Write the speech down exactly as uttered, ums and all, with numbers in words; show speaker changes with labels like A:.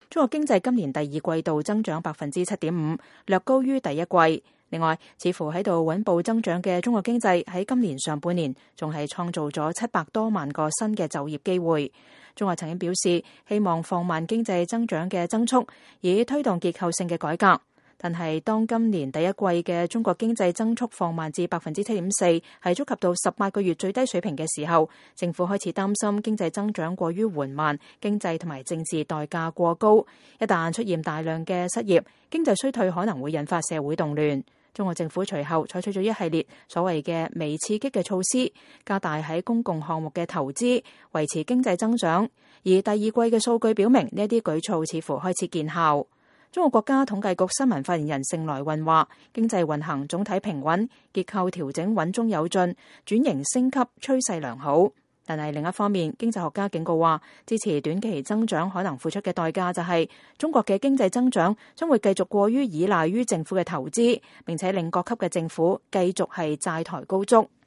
A: 中國經濟今年第二季度增長百分之七點五，略高於第一季。另外，似乎喺度穩步增長嘅中國經濟喺今年上半年仲係創造咗七百多萬個新嘅就業機會。中國曾經表示希望放慢經濟增長嘅增速，以推動結構性嘅改革。但係當今年第一季嘅中國經濟增速放慢至百分之七點四，係觸及到十八個月最低水平嘅時候，政府開始擔心經濟增長過於緩慢，經濟同埋政治代價過高。一旦出現大量嘅失業，經濟衰退可能會引發社會動亂。中國政府隨後採取咗一系列所謂嘅微刺激嘅措施，加大喺公共項目嘅投資，維持經濟增長。而第二季嘅數據表明，呢啲舉措似乎開始見效。中國國家統計局新聞發言人盛來運話，經濟運行總體平穩，結構調整穩中有進，轉型升級趨勢良好。但係另一方面，經濟學家警告話，支持短期增長可能付出嘅代價就係中國嘅經濟增長將會繼續過於依賴於政府嘅投資，並且令各級嘅政府繼續係債台高築。